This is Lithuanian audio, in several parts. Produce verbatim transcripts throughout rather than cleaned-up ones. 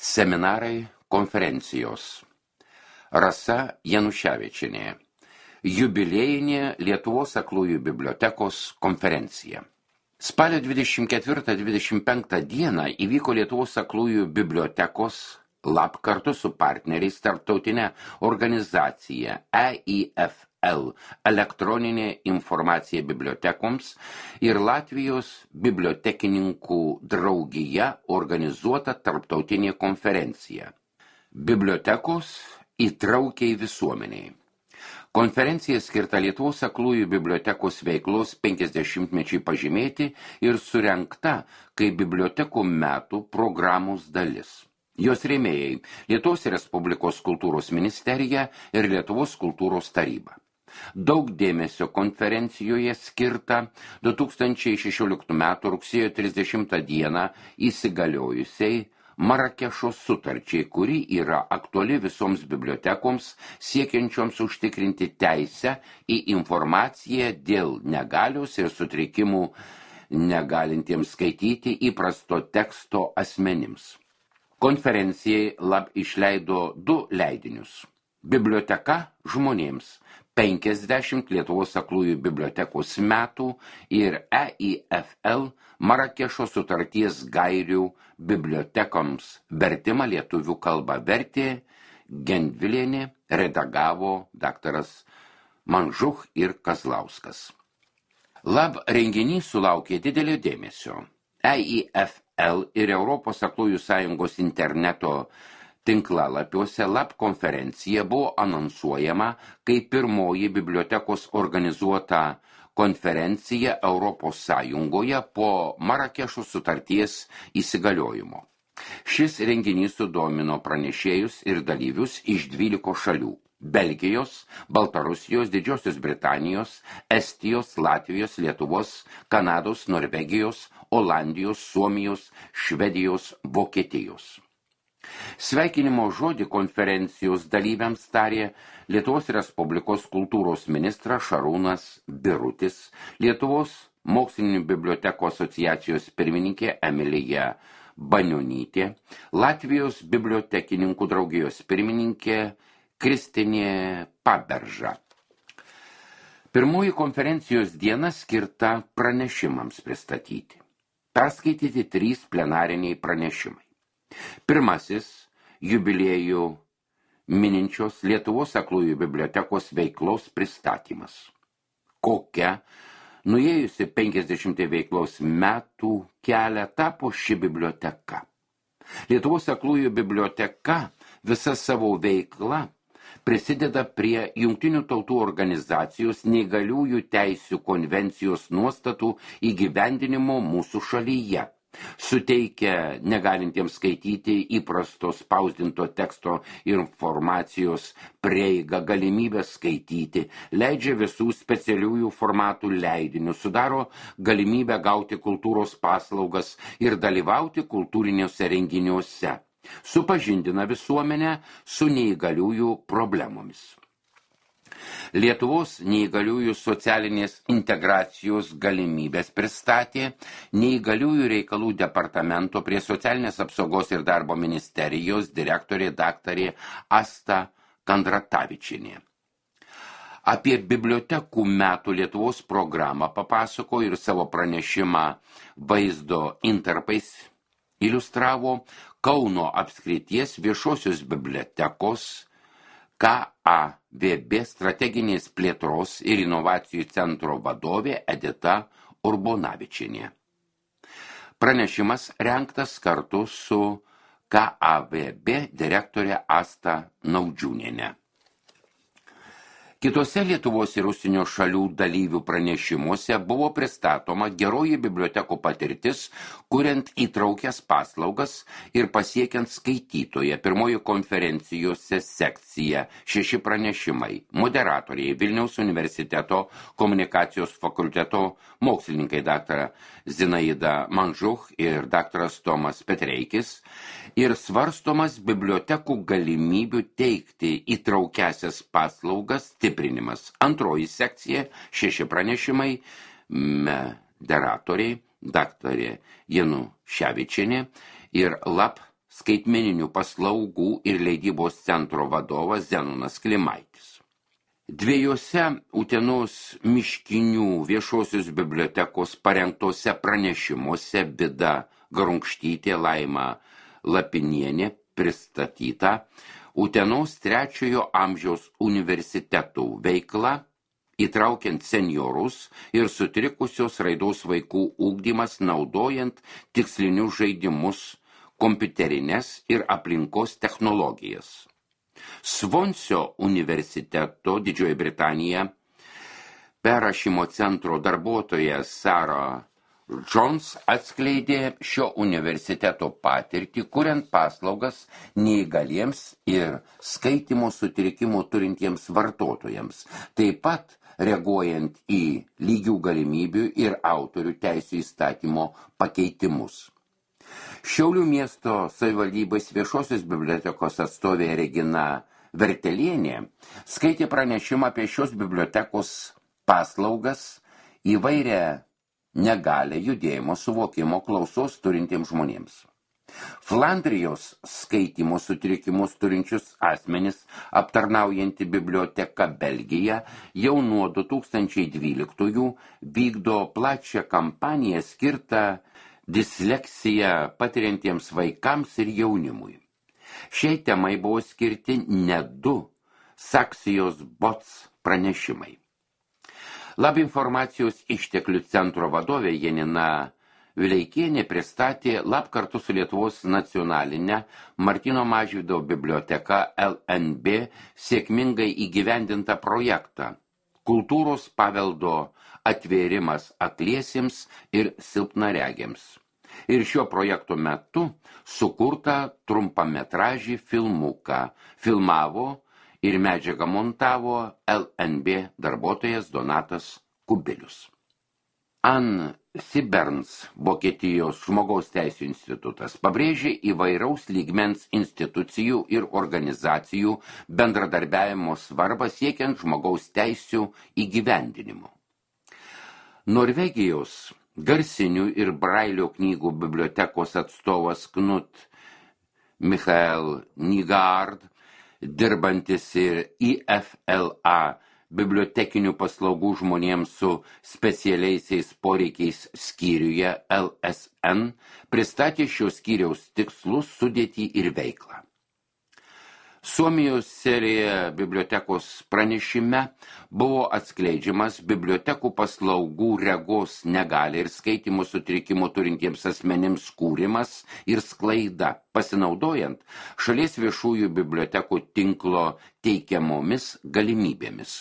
Seminarai, konferencijos. Rasa Januševičienė. Jubiliejinė Lietuvos aklųjų bibliotekos konferencija. Spalio dvidešimt ketvirtą dvidešimt penktą dieną įvyko Lietuvos aklųjų bibliotekos lab kartu su partneriais tarptautinė organizacija E I F L elektroninė informacija bibliotekoms ir Latvijos bibliotekininkų draugija organizuota tarptautinė konferencija. Bibliotekos įtraukiai visuomeniai. Konferencija skirta Lietuvos aklųjų bibliotekos veiklos penkiasdešimtmečiui pažymėti ir surengta kaip bibliotekų metų programos dalis. Jos rėmėjai Lietuvos Respublikos kultūros ministerija ir Lietuvos kultūros taryba. Daug dėmesio konferencijoje skirta du tūkstančiai šešioliktų metų rugsėjo trisdešimtą dieną įsigaliojusiai Marakešo sutarčiai, kuri yra aktuali visoms bibliotekoms siekiančioms užtikrinti teisę į informaciją dėl negalios ir sutrikimų negalintiems skaityti įprasto teksto asmenims. Konferencijai lab išleido du leidinius. Biblioteka žmonėms penkiasdešimt Lietuvos aklųjų bibliotekos metų ir E I F L Marakešo sutarties gairių bibliotekoms vertimą lietuvių kalba vertė Gendvilienė, redagavo daktaras Manžuch ir Kazlauskas. Lab renginys sulaukė didelio dėmesio. E I F L ir Europos aklųjų sąjungos interneto tinklalapiuose lab konferencija buvo anonsuojama kaip pirmoji bibliotekos organizuota konferencija Europos Sąjungoje po Marakešo sutarties įsigaliojimo. Šis renginys sudomino pranešėjus ir dalyvius iš dvylikos šalių – Belgijos, Baltarusijos, Didžiosios Britanijos, Estijos, Latvijos, Lietuvos, Kanados, Norvegijos, Olandijos, Suomijos, Švedijos, Vokietijos. Sveikinimo žodį konferencijos dalyviams tarė Lietuvos Respublikos kultūros ministras Šarūnas Birutis, Lietuvos mokslinių bibliotekų asociacijos pirmininkė Emilija Banionytė, Latvijos bibliotekininkų draugijos pirmininkė Kristinė Paberža. Pirmoji konferencijos diena skirta pranešimams pristatyti. Perskaityti trys plenariniai pranešimai. Pirmasis jubiliejų mininčios Lietuvos aklųjų bibliotekos veiklos pristatymas. Kokia, nuėjusi penkiasdešimtį veiklos metų kelią tapo ši biblioteka. Lietuvos aklųjų biblioteka visa savo veikla prisideda prie Jungtinių tautų organizacijos neįgaliųjų teisių konvencijos nuostatų įgyvendinimo mūsų šalyje. Suteikia negalintiems skaityti įprasto spausdinto teksto informacijos prieigą galimybę skaityti, leidžia visų specialiųjų formatų leidinius, sudaro galimybę gauti kultūros paslaugas ir dalyvauti kultūriniuose renginiuose, supažindina visuomenę su neįgaliųjų problemomis. Lietuvos neįgaliųjų socialinės integracijos galimybės pristatė neįgaliųjų reikalų departamento prie socialinės apsaugos ir darbo ministerijos direktorė daktarė Asta Kandratavičienė. Apie bibliotekų metų Lietuvos programą papasako ir savo pranešimą vaizdo intarpais iliustravo Kauno apskrities viešosios bibliotekos K A V B strateginės plėtros ir inovacijų centro vadovė Edita Urbonavičienė. Pranešimas rengtas kartu su K A V B direktorė Asta Naudžiūnienė. Kitose Lietuvos ir užsienio šalių dalyvių pranešimuose buvo pristatoma geroji bibliotekų patirtis, kuriant įtraukias paslaugas ir pasiekiant skaitytoje. Pirmoji konferencijose sekcija šeši pranešimai. Moderatoriai Vilniaus universiteto komunikacijos fakulteto mokslininkai daktara Zinaida Manžuch ir daktaras Tomas Petreikis ir svarstomas bibliotekų galimybių teikti įtraukiasias paslaugas stiprinimas. Antroji sekcija, šeši pranešimai, moderatoriai, daktarė Januševičienė ir lab skaitmeninių paslaugų ir leidybos centro vadovas Zenonas Klimaitis. Dviejose Utenos miškinių viešosios bibliotekos parengtose pranešimuose Vida Garunkštytė, Laima Lapinienė pristatyta Utenos trečiojo amžiaus universitetų veikla, įtraukiant seniorus ir sutrikusios raidos vaikų ugdymas naudojant tikslinius žaidimus, kompiuterinės ir aplinkos technologijas. Svonsio universiteto Didžioji Britanija perrašymo centro darbuotoja Sarah Jones atskleidė šio universiteto patirtį, kuriant paslaugas neįgaliems ir skaitymo sutrikimų turintiems vartotojams, taip pat reaguojant į lygių galimybių ir autorių teisių įstatymo pakeitimus. Šiaulių miesto savivaldybės viešosios bibliotekos atstovė Regina Vertelienė skaitė pranešimą apie šios bibliotekos paslaugas įvairią negalę judėjimo suvokimo klausos turintiems žmonėms. Flandrijos skaitymo sutrikimus turinčius asmenis aptarnaujanti biblioteka Belgija jau nuo du tūkstančiai dvyliktųjų vykdo plačią kampaniją skirtą disleksiją patiriantiems vaikams ir jaunimui. Šiai temai buvo skirti net du Saksijos Bots pranešimai. Lab informacijos išteklių centro vadovė Janina Vileikienė pristatė Lab kartu su Lietuvos nacionalinė Martyno Mažvydo biblioteka L N B sėkmingai įgyvendintą projektą Kultūros paveldo atvėrimas akliesiems ir silpnaregiams. Ir šio projekto metu sukurtą trumpametražį filmuką filmavo ir medžiagą montavo L N B darbuotojas Donatas Kubilius. Ann Siberns, Vokietijos žmogaus teisių institutas, pabrėžė įvairaus lygmens institucijų ir organizacijų bendradarbiavimo svarbą siekiant žmogaus teisių įgyvendinimo. Norvegijos garsinių ir brailio knygų bibliotekos atstovas Knut Michael Nygaard, dirbantis ir I F L A bibliotekinių paslaugų žmonėms su specialiaisiais poreikiais skyriuje L S N, pristatė šios skyriaus tikslus, sudėtį ir veiklą. Suomijos serija bibliotekos pranešime buvo atskleidžiamas bibliotekų paslaugų regos negalią ir skaitymo sutrikimų turintiems asmenims kūrimas ir sklaida, pasinaudojant šalies viešųjų bibliotekų tinklo teikiamomis galimybėmis.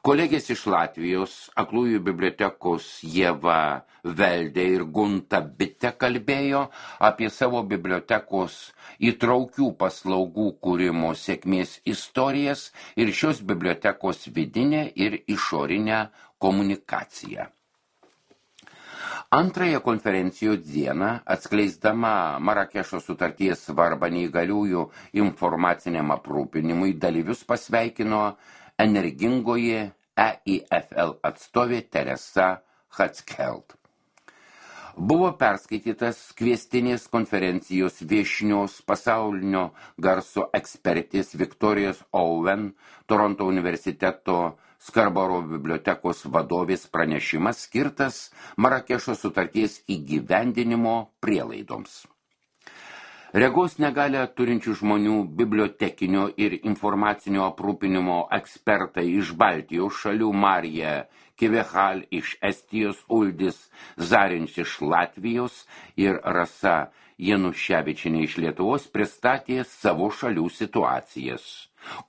Kolegės iš Latvijos, aklųjų bibliotekos Ieva Veldė ir Gunta Bitė kalbėjo apie savo bibliotekos įtraukių paslaugų kūrimo sėkmės istorijas ir šios bibliotekos vidinę ir išorinę komunikaciją. Antrąją konferencijos dieną, atskleisdama Marakešo sutarties svarbą neįgaliųjų informaciniam aprūpinimui, dalyvius pasveikino energingoji E I F L atstovė Teresa Hatskeld. Buvo perskaitytas kviestinės konferencijos viešnios pasaulinio garso ekspertės Viktorijos Owen, Toronto universiteto Skarboro bibliotekos vadovės pranešimas skirtas Marakešo sutarties įgyvendinimo prielaidoms. Regos negalią turinčių žmonių bibliotekinio ir informacinio aprūpinimo ekspertai iš Baltijos šalių Marija Kivehal iš Estijos, Uldis Zarinč iš Latvijos ir Rasa Januševičienė iš Lietuvos pristatė savo šalių situacijas.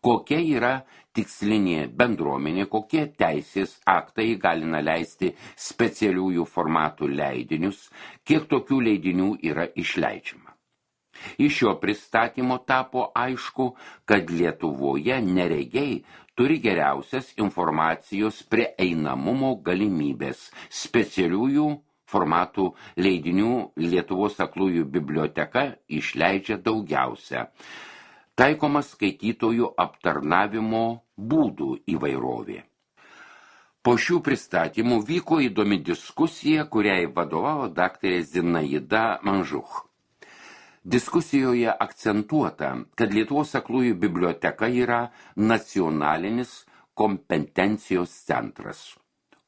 Kokia yra tikslinė bendruomenė, kokie teisės aktai galina leisti specialiųjų formatų leidinius, kiek tokių leidinių yra išleidžiama. Iš šio pristatymo tapo aišku, kad Lietuvoje neregiai turi geriausias informacijos prieinamumo galimybės. Specialiųjų formatų leidinių Lietuvos aklųjų biblioteka išleidžia daugiausia. Taikomas skaitytojų aptarnavimo būdų įvairovė. Po šių pristatymų vyko įdomi diskusija, kuriai vadovavo daktarė Zinaida Manžuch. Diskusijoje akcentuota, kad Lietuvos aklųjų biblioteka yra nacionalinis kompetencijos centras,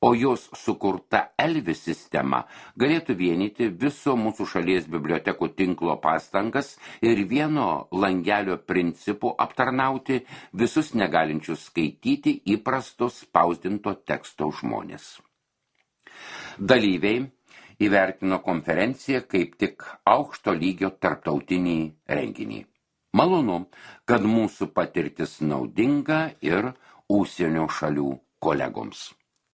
o jos sukurta Elvis sistema galėtų vienyti viso mūsų šalies bibliotekų tinklo pastangas ir vieno langelio principu aptarnauti visus negalinčius skaityti įprasto spausdinto teksto žmonės. Dalyviai įvertino konferenciją kaip tik aukšto lygio tarptautinį renginį. Malonu, kad mūsų patirtis naudinga ir užsienio šalių kolegoms.